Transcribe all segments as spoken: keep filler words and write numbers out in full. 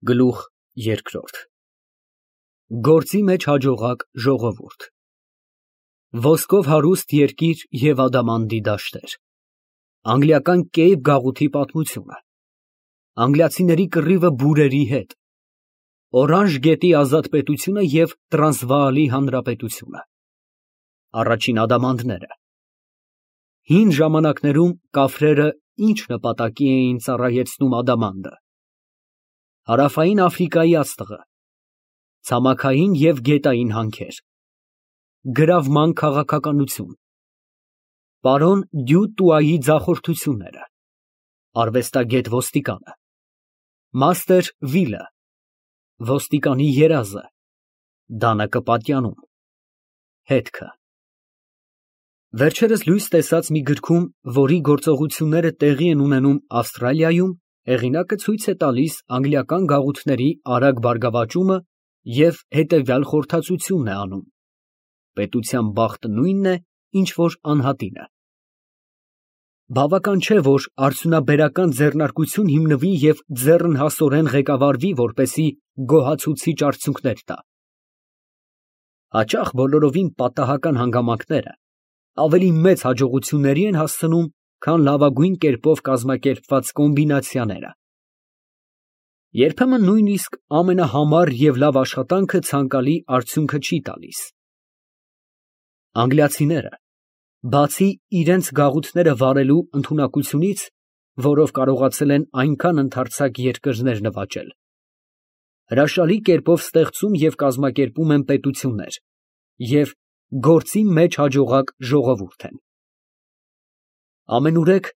Գլուխ երկրորդ Գործի մեջ հաջողակ ժողովուրդ Ոսկով հարուստ երկիր և ադամանդի դաշտեր Անգլիական Կեյպ գաղութի պատմությունը Անգլիացիների կռիվը բուրերի հետ Օրանժ գետի ազատպետությունը և Տրանսվալի հանրապետությունը Առաջին ադամանդները Հին ժամանակներում կաֆրերը ինչ նպատակի էին ծառայեցնում ադամանդը Հարավային Աֆրիկայի աստղը Ցամաքային և գետային հանքեր Գրավման քաղաքականություն Պարոն Դյու Տուայի ձախորդությունները Արվեստագետ ոստիկանը Մաստեր Վիլը Ոստիկանի երազը Դանակը պատյանում Հետքը Վերջերս լույս տեսած մի գրքում, որի գործողությունները տեղի են ունենում Ավստրալիայում, հեղինակը ցույց է տալիս անգլիական գաղութների արագ բարգավաճումը և հետևյալ խորհրդածությունն է անում. պետության բախտը նույնն է, ինչ որ անհատինը։ Բավական չէ, որ արդյունաբերական ձեռնարկություն հիմնվի և ձեռնհասորեն ղեկավարվի, որպեսզի գոհացուցիչ արդյունքներ տա։ Հաճախ բոլորովին պատահական հանգամանքները ավելի մեծ հաջողությունների են հասցնում, քան լավագույն կերպով կազմակերպված կոմբինացիաները։ Երբեմն նույնիսկ ամենահամար և լավ աշխատանքը ցանկալի արդյունքը չի տալիս։ Անգլիացիները, բացի իրենց գաղութները վարելու ընդունակությունից, որով կարողացել են այնքան ընդարձակ երկրներ նվաճել, հրաշալի կերպով ստեղծում և կազմակերպում են պետություններ և գործի մեջ հաջողակ ժողովուրդ են։ Ամենուրեք,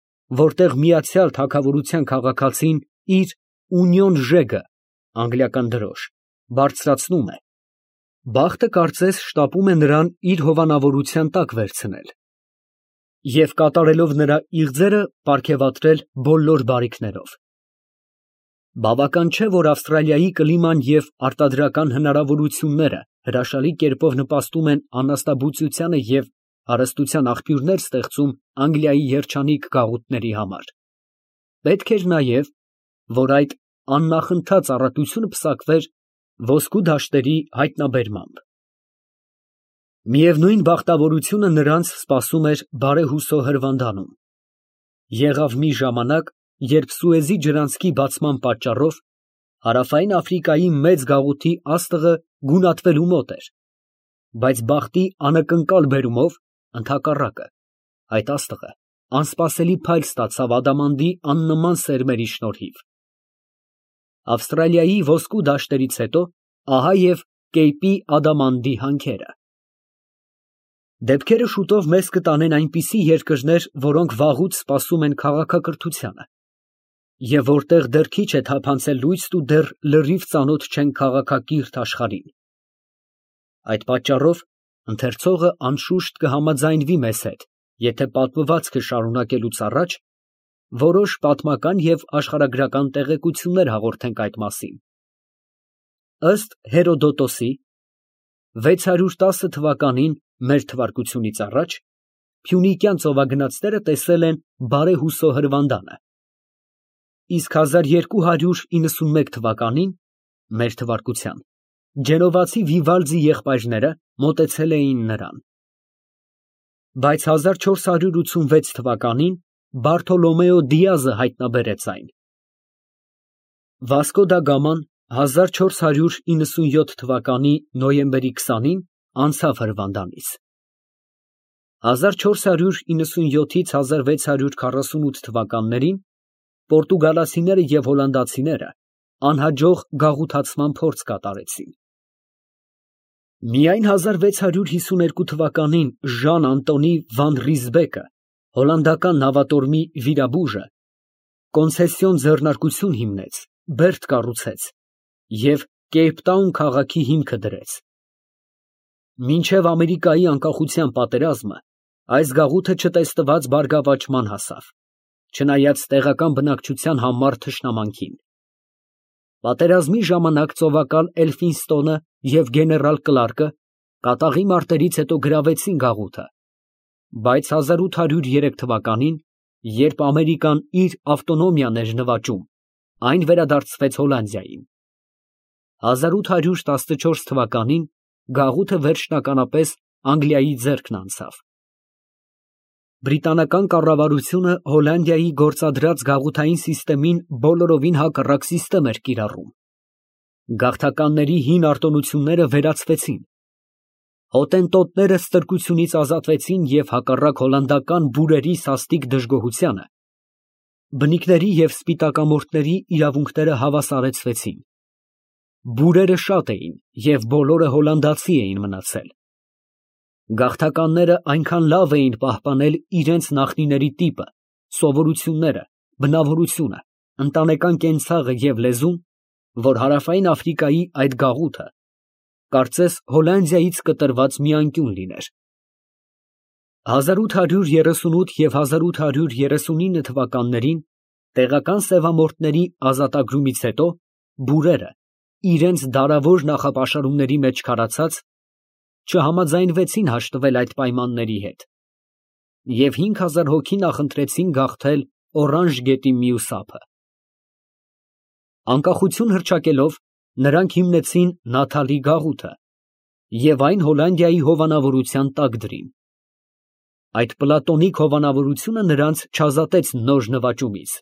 որտեղ միացյալ թագավորության քաղաքացին իր «Ունիոն Ժեգը» (անգլիական դրոշ) բարձրացնում է, բախտը կարծես շտապում է նրան իր հովանավորության տակ վերցնել և կատարելով նրա իղձերը պարգևատրել բոլոր բարիքներով։ Բավական չէ, որ Ավստրալիայի կլիման և արտադրական հնարավորությունները հրաշալի կերպով նպաստում են անաստաբուծությանը և հարստության աղբյուրներ ստեղծում Անգլիայի երջանիկ գաղութների համար, պետք էր նաև, որ այդ աննախընթաց առատությունը պսակվեր ոսկու դաշտերի հայտնաբերմամբ։ Միևնույն բախտավորությունը նրանց սպասում էր բարեհուսո հրվանդանում։ Եղավ մի ժամանակ, երբ Սուեզի ջրանցքի բացման պատճառով Հարավային Աֆրիկայի մեծ գաղութի աստղը գունատվելու մոտ էր, բայց բախտի անակնկալ բերումով, ընդհակառակը, այդ աստղը անսպասելի փայլ ստացավ ադամանդի աննման սերմերի շնորհիվ։ Ավստրալիայի ոսկու դաշտերից հետո ահա և Կեյպի ադամանդի հանքերը։ Դեպքերը շուտով մեզ կտանեն այնպիսի երկրներ, որոնք վաղուց սպասում են քաղաքակրթությանը, և որտեղ դեռ քիչ է թափանցել լույսն ու դեռ լրիվ ծանոթ չեն քաղաքակիրթ աշխարհին։ Այդ պատճառով ընթերցողը անշուշտ կհամաձայնվի մեզ հետ, եթե պատմվածքը շարունակելուց առաջ որոշ պատմական և աշխարհագրական տեղեկություններ հաղորդենք այդ մասին։ Ըստ Հերոդոտոսի, վեց հարյուր տասը թվականին մեր թվարկությունից առաջ փյունիկյան ծովագնացները տեսել են բարեհուսո հրվանդանը, իսկ հազար երկու հարյուր իննսունմեկ թվականին մեր թվարկության գենուեզացի Վիվալդի եղբայրները մոտեցել էին նրան։ Բայց հազար չորս հարյուր ութսունվեց թվականին Բարթոլոմեո Դիազը հայտնաբերեց այն։ Վասկո դա Գաման հազար չորս հարյուր իննսունյոթ թվականի նոյեմբերի քսանին անցավ հրվանդանից։ հազար չորս հարյուր իննսունյոթից հազար վեց հարյուր քառասունութ թվականներին պորտուգալացիները և հոլանդացիները անհաջող գաղութացման փորձ կատարեցին։ Միայն հազար վեց հարյուր հիսուներկու թվականին Ժան Անտոնի վան Ռիզբեկը, հոլանդական նավատորմի վիրաբուժը, կոնցեսիոն ձեռնարկություն հիմնեց, բերդ կառուցեց և Կեյպտաուն քաղաքի հիմքը դրեց։ Մինչև Ամերիկայի անկախության պատերազմը այս գաղութը չտեսնված բարգավաճման հասավ, չնայած տեղական բնակչության համառ թշնամանքին։ Պատերազմի ժամանակ ծովակալ Էլֆինստոնը և գեներալ Կլարկը կատաղի մարտերից հետո գրավեցին գաղութը, բայց հազար ութ հարյուր երեք թվականին, երբ Ամերիկան իր ավտոնոմիան էր նվաճում, այն վերադարձվեց Հոլանդիային։ հազար ութ հարյուր տասնչորս թվականին գաղութը վերջնականապես Անգլիայի ձեռքն անցավ։ Բրիտանական կառավարությունը Հոլանդիայի գործադրած գաղութային սիստեմին բոլորովին հակառակ սիստեմ էր կիրառում։ Գաղթականների հին արտոնությունները վերացվեցին։ Հոտենտոտները ստրկությունից ազատվեցին և հակառակ հոլանդական բուրերի սաստիկ դժգոհությանը, բնիկների և սպիտակամորթների իրավունքները հավասարեցվեցին։ Բուրերը շատ էին և բոլորը հոլանդացի էին մնացել։ Գաղթականները այնքան լավ էին պահպանել իրենց նախնիների տիպը, սովորությունները, բնավորությունը, ընտանեկան կենցաղը և լեզուն, որ Հարավային Աֆրիկայի այդ գաղութը կարծես Հոլանդիայից կտրված մի անկյուն լիներ։ հազար ութ հարյուր երեսունութ և հազար ութ հարյուր երեսունինը թվականներին տեղական սևամորթների ազատագրումից հետո բուրերը, իրենց դարավոր նախապաշարումների մեջ քարացած, չհամաձայնվեցին հաշտվել այդ պայմանների հետ և հինգ հազար հոգի նախընտրեցին գաղթել Օրանժ գետի մյուս ափը։ Անկախություն հռչակելով, նրանք հիմնեցին Նաթալի գաղութը և այն Հոլանդիայի հովանավորության տակ դրին։ Այդ պլատոնիկ հովանավորությունը նրանց չազատեց նոր նվաճումից։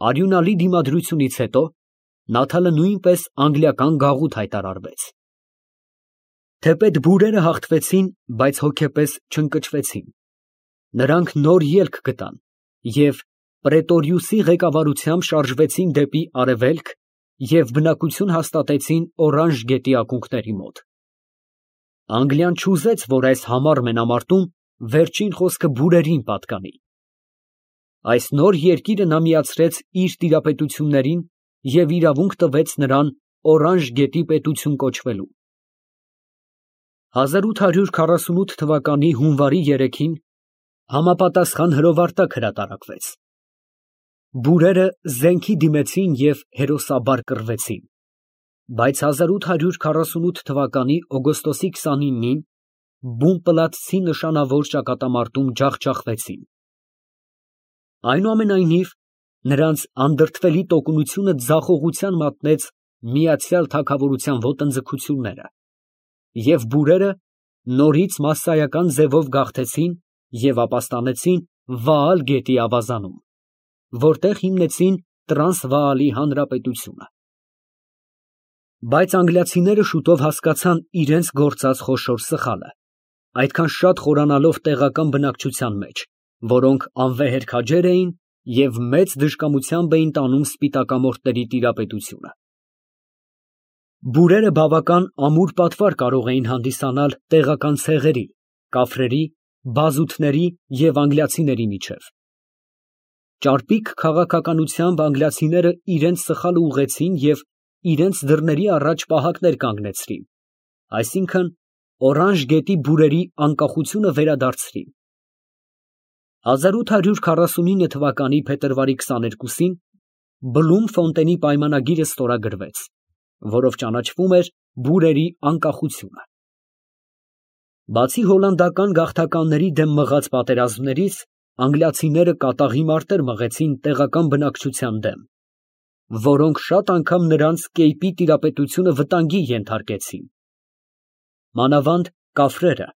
Արյունալի դիմադրությունից հետո Նաթալը նույնպես անգլիական գաղութ հայտարարվեց։ Թեպետ բուրերը հաղթվեցին, բայց հոգեպես չընկճվեցին։ Նրանք նոր ելք գտան և Պրետորիուսի ղեկավարությամբ շարժվեցին դեպի արևելք և բնակություն հաստատեցին Օրանժ գետի ակունքների մոտ։ Անգլիան չուզեց, որ այս համառ մենամարտում վերջին խոսքը բուրերին պատկանի։ Այս նոր երկիրը նա միացրեց իր տիրապետություններին և իրավունք տվեց նրան Օրանժ գետի պետություն կոչվելու։ հազար ութ հարյուր քառասունութ թվականի հունվարի երեքին համապատասխան հրովարտակ հրատարակվեց։ Բուրերը զենքի դիմեցին և հերոսաբար կռվեցին, բայց հազար ութ հարյուր քառասունութ թվականի օգոստոսի քսանինին բուն֊պլատցի նշանավոր ճակատամարտում ջախջախվեցին։ Այնուամենայնիվ, նրանց անդրդվելի տոկունությունը ձախողության մատնեց միացյալ թագավորության ոտնձգությունները, և բուրերը նորից մասսայական ձևով գաղթեցին և ապաստանեցին Վաալ գետի ավազանում, որտեղ հիմնեցին Տրանսվաալի հանրապետությունը։ Բայց անգլիացիները շուտով հասկացան իրենց գործած խոշոր սխալը, այդքան շատ խորանալով տեղական բնակչության մեջ, որոնք անվեհեր քաջեր էին և մեծ դժկամությամբ էին տանում սպիտակամորթների տիրապետությունը։ Բուրերը բավական ամուր պատվար կարող էին հանդիսանալ տեղական ցեղերի, կաֆրերի, բազութների և անգլիացիների միջև։ Ճարպիկ քաղաքականությամբ անգլիացիները իրենց սխալը ուղղեցին և իրենց դռների առաջ պահակներ կանգնեցրին, այսինքն՝ Օրանժ գետի բուրերի անկախությունը վերադարձրին։ հազար ութ հարյուր քառասունինը թվականի փետրվարի քսաներկուսին Բլումֆոնտենի պայմանագիրը ստորագրվեց, որով ճանաչվում էր բուրերի անկախությունը։ Բացի հոլանդական գաղթականների դեմ մղած պատերազմներից, անգլիացիները կատաղի մարտեր մղեցին տեղական բնակչության դեմ, որոնք շատ անգամ նրանց կեյպի տիրապետությունը վտանգի ենթարկեցին։ Մանավանդ կաֆրերը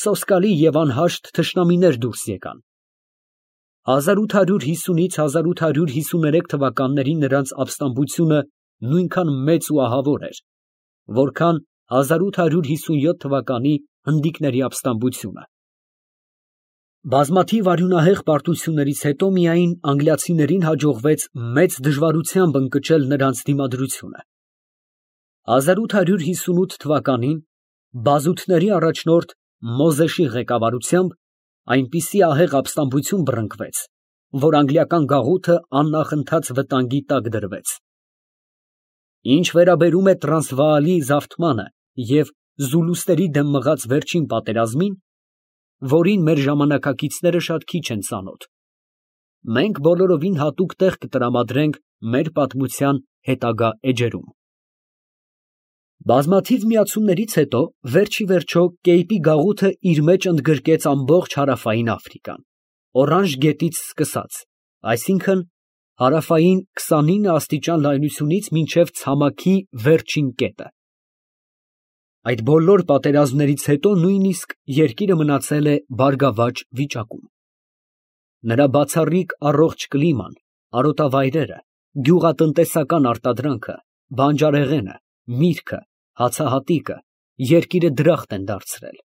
սոսկալի և անհաշտ թշնամիներ դուրս եկան։ հազար ութ հարյուր հիսունից հազար ութ հարյուր հիսուներեք թվականներին նրանց ապստամբությունը նույնքան մեծ ու ահավոր էր, որքան հազար ութ հարյուր հիսունյոթ թվականի հնդիկների ապստամբությունը։ Բազմաթիվ արյունահեղ պարտություններից հետո միայն անգլիացիներին հաջողվեց մեծ դժվարությամբ ընկճել նրանց դիմադրությունը։ հազար ութ հարյուր հիսունութ թվականին բազութների առաջնորդ Մոզեշի ղեկավարությամբ այնպիսի ահեղ ապստամբություն բռնկվեց, որ անգլիական գաղութը աննախընթաց վտանգի տակ դրվեց։ Ինչ վերաբերում է Տրանսվաալի զավթմանը և զուլուստերի դեմ մղած վերջին պատերազմին, որին մեր ժամանակակիցները շատ քիչ են ծանոթ, մենք բոլորովին հատուկ տեղ կտրամադրենք մեր պատմության հետագա էջերում։ Բազմաթիվ միացումներից հետո վերջիվերջո կեյպի գաղութը իր մեջ ընդգրկեց ամբողջ Հարավային Աֆրիկան, Օրանժ գետից սկսած, այսինքն՝ Հարավային քսանինը աստիճան լայնությունից մինչև ցամաքի վերջին կետը։ Այդ բոլոր պատերազմներից հետո նույնիսկ երկիրը մնացել է բարգավաճ վիճակում։ Նրա բացառիկ առողջ կլիման, արոտավայրերը, գյուղատնտեսական արտադրանքը, բանջարեղենը, միրգը, հացահատիկը երկիրը դրախտ են դարձրել։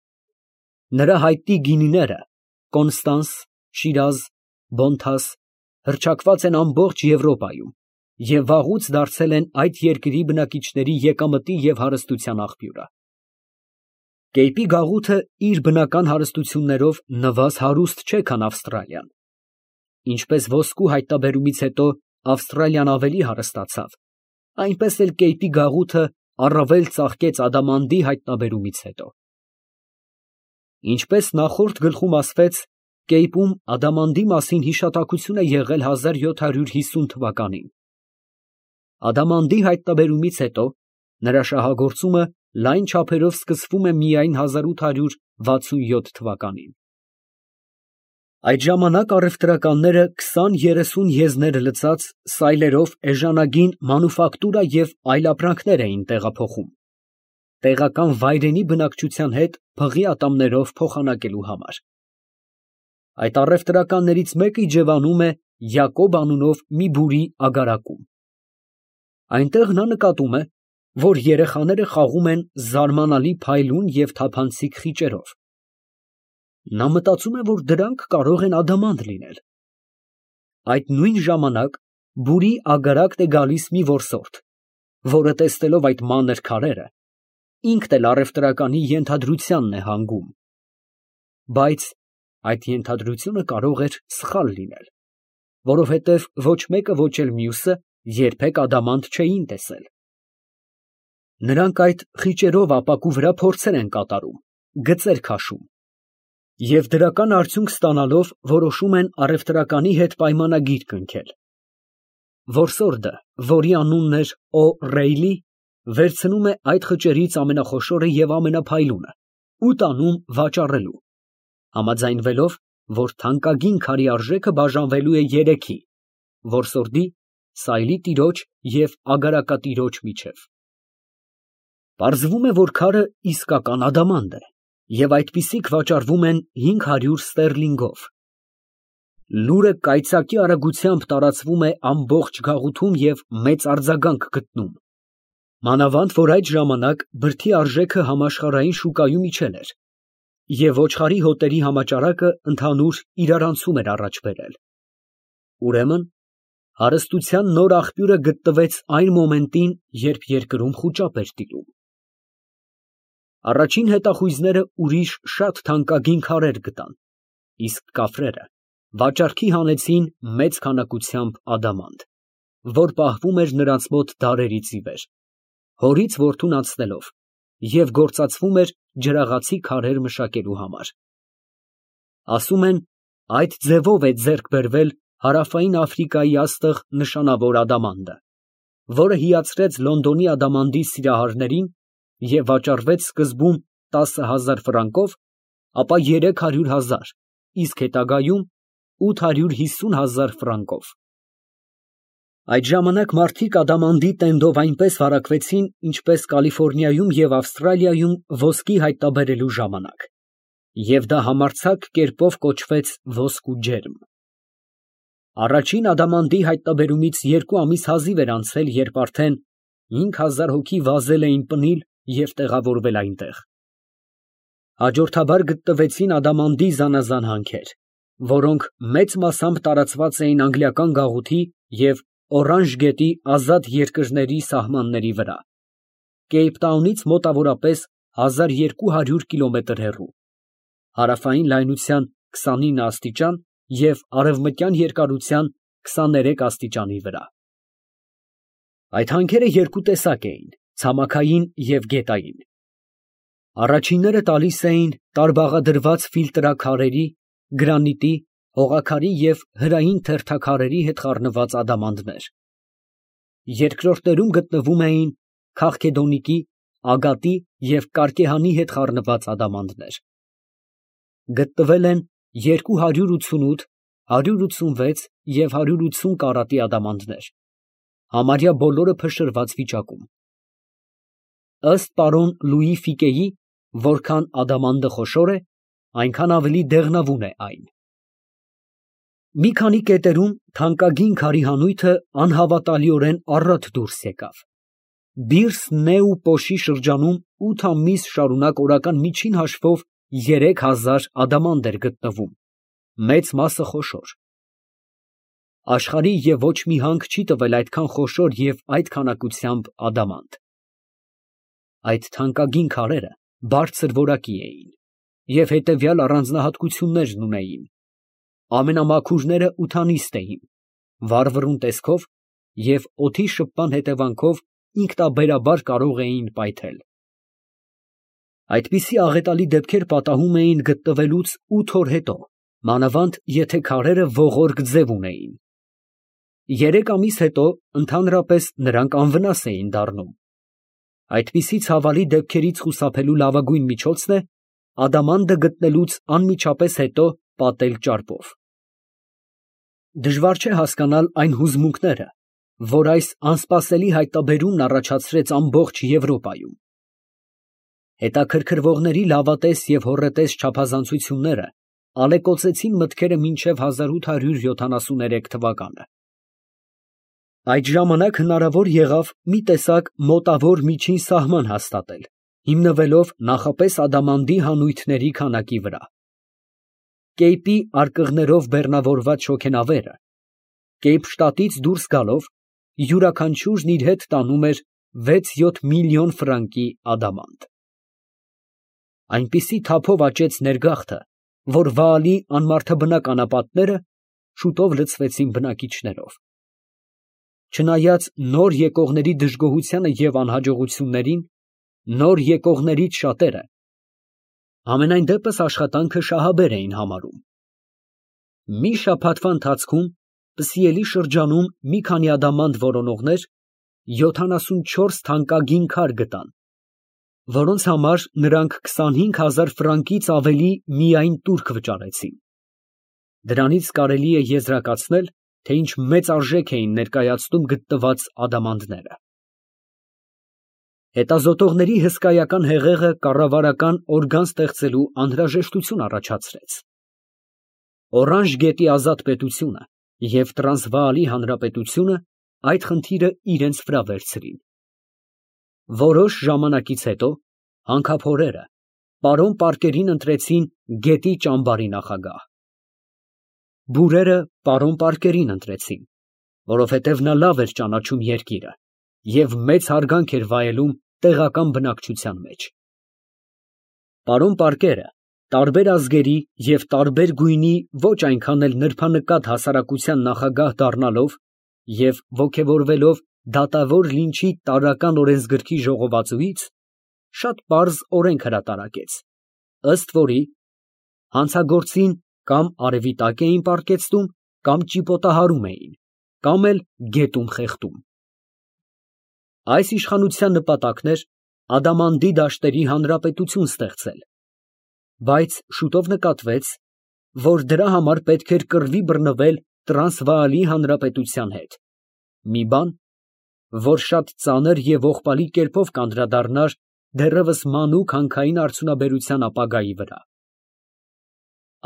Նրա հայտնի գինիները՝ Կոնստանս, Շիրազ, Բոնթաս, հռչակված են ամբողջ Եվրոպայում և վաղուց դարձել են այդ երկրի բնակիչների եկամտի և հարստության աղբյուրը։ Կեյպի գաղութը իր բնական հարստություններով նվազ հարուստ չէ, քան Ավստրալիան։ Ինչպես ոսկու հայտնաբերումից հետո Ավստրալիան ավելի հարստացավ, այնպես էլ Կեյպի գաղութը առավել ծաղկեց ադամանդի հայտնաբերումից հետո։ Ինչպես նախորդ գլխում ասվեց, Կեյպում ադամանդի մասին հիշատակություն է եղել հազար յոթ հարյուր հիսուն թվականին։ Ադամանդի հայտնաբերումից հետո նրա շահագործումը լայն չափերով սկսվում է միայն հազար ութ հարյուր վաթսուն յոթ թվականին։ Այդ ժամանակ առևտրականները քսան երեսուն եզներ լցած սայլերով էժանագին մանուֆակտուրա և այլ ապրանքներ էին տեղափոխում, տեղական վայրենի բնակչության հետ փղի ատամներով փոխանակելու համար։ Այդ առևտրականներից մեկը իջևանում է Յակոբ անունով մի բուրի ագարակում։ Այնտեղ նա նկատում է, որ երեխաները խաղում են զարմանալի փայլուն և թափանցիկ խիճերով։ Նա մտածում է, որ դրանք կարող են ադամանդ լինել։ Այդ նույն ժամանակ բուրի ագարակն է գալիս մի որսորդ, որը տեսնելով այդ մանր քարերը, ինքն էլ առևտրականի ենթադրությանն է հանգում։ Բայց այդ ենթադրությունը կարող էր սխալ լինել, որովհետև ոչ մեկը, ոչ էլ մյուսը երբեք ադամանդ չէին տեսել։ Նրանք այդ խիճերով ապակու վրա փորձեր են կատարում, գծեր քաշում և դրական արդյունք ստանալով որոշում են առևտրականի հետ պայմանագիր կնքել։ Որսորդը, որի անունն էր Օ'Ռեյլի, վերցնում է այդ խճերից ամենախոշորը և ամենափայլունը ու տանում վաճառելու, համաձայնվելով, որ թանկագին քարի արժեքը բաժանվելու է երեքի՝ որսորդի, սայլի տիրոջ և ագարակատիրոջ միջև։ Պարզվում է, որ քարը իսկական ադամանդ է, և այդպիսիք վաճառվում են հինգ հարյուր ստերլինգով։ Լուրը կայծակի արագությամբ տարածվում է ամբողջ գաղութում և մեծ արձագանք գտնում, մանավանդ որ այդ ժամանակ բրդի արժեքը համաշխարհային շուկայում իջել էր, և ոչխարի հոտերի համաճարակը ընդհանուր իրարանցում էր առաջ բերել։ Ուրեմն հարստության նոր աղբյուրը գտնվեց այն մոմենտին, երբ երկրում խուճապ էր տիրում։ Առաջին հետախույզները ուրիշ շատ թանկագին քարեր գտան, իսկ կաֆրերը վաճառքի հանեցին մեծ քանակությամբ ադամանդ, որ պահվում էր նրանց մոտ դարերից ի վեր, հորից որդուն անցնելով, և գործածվում էր ջրաղացի քարեր մշակելու համար։ Ասում են, այդ ձևով է ձեռք բերվել հարավային Աֆրիկայի աստղ նշանավոր ադամանդը, որը հիացրեց Լոնդոնի ադամանդի սիրահարներին և վաճառվեց սկզբում տասը հազար ֆրանկով, ապա երեք հարյուր հազար, իսկ հետագայում ութ հարյուր հիսուն հազար ֆրանկով։ Այդ ժամանակ մարդիկ ադամանդի տենդով այնպես վարակվեցին, ինչպես Կալիֆոռնիայում և Ավստրալիայում ոսկի հայտնաբերելու ժամանակ, և դա համարձակ կերպով կոչվեց ոսկու ջերմ։ Առաջին ադամանդի հայտնաբերումից երկու ամիս հազիվ էր անցել, երբ արդեն հինգ հազար հոգի վազել էին պնիլ և տեղավորվել այնտեղ։ Հաջորդաբար գտնվեցին ադամանդի զանազան հանքեր, որոնք մեծ մասամբ տարածված էին անգլիական գաղութի և Օրանժ գետի ազատ երկրների սահմանների վրա, Կեյպտաունից մոտավորապես հազար երկու հարյուր կիլոմետր հեռու, հարավային լայնության քսանինը աստիճան և արևմտյան երկարության քսաներեք աստիճանի վրա։ Այդ հանքերը երկու տեսակ էին՝ ցամաքային և գետային։ Առաջինները տալիս էին տարբաղադրված ֆիլտրաքարերի, գրանիտի, հողաքարի և հրային թերթաքարերի հետ խառնված ադամանդներ։ Երկրորդներում գտնվում էին քաղքեդոնիկի, ագատի և կարկեհանի հետ խառնված ադամանդներ։ Գտնվել են երկու հարյուր ութսունութ, հարյուր ութսունվեց և հարյուր ութսուն կարատի ադամանդներ, համարյա բոլորը փշրված վիճակում։ Ըստ պարոն Լուի Ֆիկեի, որքան ադամանդը խոշոր է, այնքան ավելի դեղնավուն է այն։ Մի քանի կետերում թանկագին քարի հանույթը անհավատալիորեն առատ դուրս եկավ։ Բիրս Նեու Պոշի շրջանում ութ ամիս շարունակ օրական միջին հաշվով երեք հազար ադամանդ էր գտնվում, մեծ մասը խոշոր։ Աշխարհի և ոչ մի հանք չի տվել այդքան խոշոր և այդ քանակությամբ ադամանդ։ Այդ թանկագին քարերը բարձր որակի էին և հետևյալ առանձնահատկություններն ունեին. ամենամաքուրները ութանիստ էին, վառվռուն տեսքով և օդի շփման հետևանքով ինքնաբերաբար կարող էին պայթել։ Այդպիսի աղետալի դեպքեր պատահում էին գտնվելուց ութ օր հետո, մանավանդ եթե քարերը ողորկ ձև ունեին։ Երեք ամիս հետո ընդհանրապես նրանք անվնաս էին դառնում։ Այդպիսի ցավալի դեպքերից խուսափելու լավագույն միջոցն է ադամանդը գտնելուց անմիջապես հետո պատել ճարպով։ Դժվար չէ հասկանալ այն հուզմունքները, որ այս անսպասելի հայտնաբերումն առաջացրեց ամբողջ Եվրոպայում։ Հետաքրքրվողների լավատես և հոռետես չափազանցությունները ալեկոծեցին մտքերը մինչև հազար ութ հարյուր յոթանասուներեք թվականը։ Այդ ժամանակ հնարավոր եղավ մի տեսակ մոտավոր միջին սահման հաստատել, հիմնվելով նախապես ադամանդի հանույթների քանակի վրա։ Կեյպի արկղներով բեռնավորված շոգենավերը Կեյպշտատից դուրս գալով յուրաքանչյուրն իր հետ տանում էր վեց֊յոթ միլիոն ֆրանկի ադամանդ։ Այնպիսի թափով աճեց ներգաղթը, որ Վաալի անմարդաբնակ անապատները շուտով լցվեցին բնակիչներով։ Չնայած նոր եկողների դժգոհությանը և անհաջողություններին, նոր եկողներից շատերը համենայն դեպս աշխատանքը շահաբեր էին համարում։ Մի շաբաթվա ընթացքում Պսիելի շրջանում մի քանի ադամանդ որոնողներ յոթանասունչորս թանկագին քար գտան, որոնց համար նրանք քսանհինգ հազար ֆրանկից ավելի միայն տուրք վճարեցին։ Դրանից կարելի է եզրակացնել, թե ինչ մեծ արժեք էին ներկայացնում գտնված ադամանդները։ Հետազոտողների հսկայական հեղեղը կառավարական օրգան ստեղծելու անհրաժեշտություն առաջացրեց։ Օրանժ գետի Ազատ պետությունը և Տրանսվաալի հանրապետությունը այդ խնդիրը իրենց վրա վերցրին։ Որոշ ժամանակից հետո հանքափորերը պարոն Պարկերին ընտրեցին գետի ճամբարի նախագահ։ Բուրերը պարոն Պարկերին ընտրեցին, որովհետև նա լավ էր ճանաչում երկիրը և մեծ հարգանք էր վայելում տեղական բնակչության մեջ։ Պարոն Պարկերը տարբեր ազգերի և տարբեր գույնի ոչ այնքան էլ նրբանկատ հասարակության նախագահ դառնալով և ոգևորվելով դատավոր լինչի տարրական օրենսգրքի ժողովածուից, շատ պարզ օրենք հրատարակեց, ըստ որի հանցագործին կամ արևի տակ էին պառկեցնում, կամ ճիպոտահարում էին, կամ էլ գետում խեղդում։ Այս իշխանության նպատակն էր ադամանդի դաշտերի հանրապետություն ստեղծել, բայց շուտով նկատվեց, որ դրա համար պետք էր կռվի բռնվել Տրանսվաալի հանրապետության հետ, մի բան, որ շատ ծանր և ողբալի կերպով կանդրադառնար դեռևս մանուկ հանքային արդյունաբերության ապագայի վրա։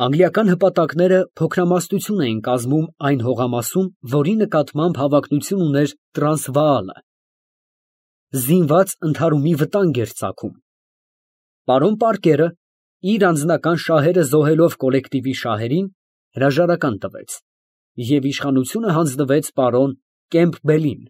Անգլիական հպատակները փոքրամասնություն էին կազմում այն հողամասում, որի նկատմամբ հավակնություն ուներ Տրանսվաալը։ Զինված ընդհարումի վտանգ էր ծագում։ Պարոն Պարկերը, իր անձնական շահերը զոհելով կոլեկտիվի շահերին, հրաժարական տվեց և իշխանությունը հանձնվեց պարոն Կեմփբելին,